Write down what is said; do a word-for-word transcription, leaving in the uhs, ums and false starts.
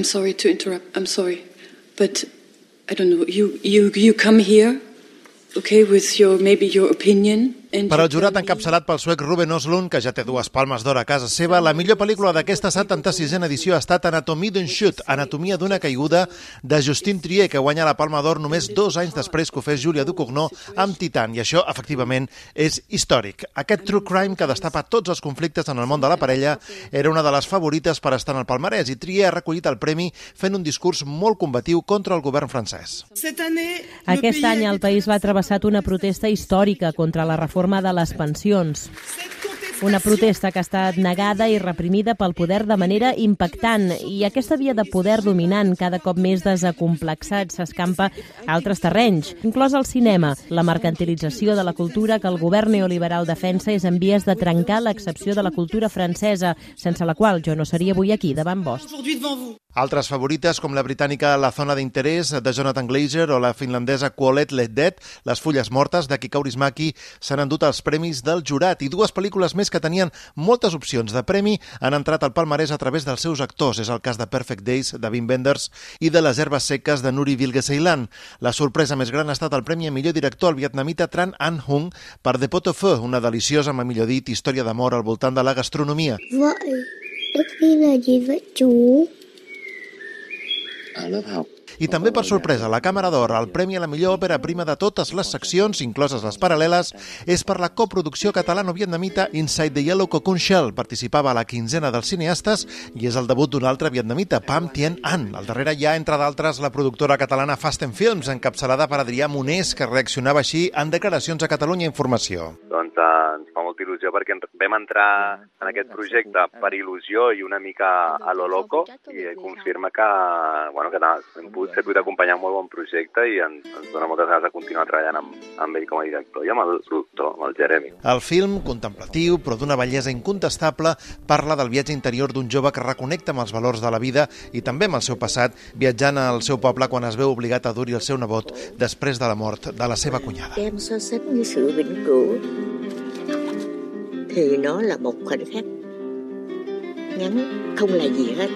sorry to interrupt. I'm sorry. But I don't know, you, you, you come here, okay, with your, maybe your opinion. Per al jurat encapçalat pel suec Ruben Östlund, que ja té dues palmes d'or a casa seva, la millor pel·lícula d'aquesta setanta-sisena edició ha estat Anatomie d'un chute, Anatomia d'una caiguda, de Justine Triet, que guanya la Palma d'Or només dos anys després que ho fes Julia Ducournau amb Titan, i això, efectivament, és històric. Aquest true crime que destapa tots els conflictes en el món de la parella era una de les favorites per estar en el palmarès, i Triet ha recollit el premi fent un discurs molt combatiu contra el govern francès. Aquest any el país va travessar una protesta històrica contra la reforma de les pensions. Una protesta que ha estat negada i reprimida pel poder de manera impactant, i aquesta via de poder dominant, cada cop més desacomplexat, s'escampa a altres terrenys, inclòs el cinema. La mercantilització de la cultura que el govern neoliberal defensa és en vies de trencar l'excepció de la cultura francesa, sense la qual jo no seria avui aquí davant vos. Altres favorites, com la britànica La zona d'interès, de Jonathan Glazer, o la finlandesa Kuolleet Lehdet, Les fulles mortes, de Kika Kaurismäki, s'han endut els premis del jurat, i dues pel·lícules més que tenien moltes opcions de premi han entrat al palmarès a través dels seus actors. És el cas de Perfect Days, de Wim Wenders, i de Les herbes seques, de Nuri Bilge Ceylan. La sorpresa més gran ha estat el premi a millor director al vietnamita Tran Anh Hung per The Pot of Pho, una deliciosa, mà millor dit, història d'amor al voltant de la gastronomia. Vậy, Đức Phi là gì vậy chú? I també, per sorpresa, la Càmera d'Or, el premi a la millor òpera prima de totes les seccions, incloses les paral·leles, és per la coproducció catalano-vietnamita Inside the Yellow Cocoon Shell. Participava a la quinzena dels cineastes i és el debut d'un altre vietnamita, Pham Thien An. Al darrere hi ha, entre d'altres, la productora catalana Fasten Films, encapçalada per Adrià Monés, que reaccionava així en declaracions a Catalunya Informació. Doncs eh, ens fa molta il·lusió perquè vam entrar en aquest projecte per il·lusió i una mica a lo loco, i confirma que, bueno, que hem pogut ser d'acompanyar un molt bon projecte i ens, ens dona moltes ganes de continuar treballant amb, amb ell com a director i amb el productor, amb el Jeremy. El film, contemplatiu, però d'una bellesa incontestable, parla del viatge interior d'un jove que reconnecta amb els valors de la vida i també amb el seu passat, viatjant al seu poble quan es veu obligat a dur-hi el seu nebot després de la mort de la seva cunyada. Đem so sánh với sự vĩnh cửu thì nó là một khoảnh khắc ngắn không là gì hết.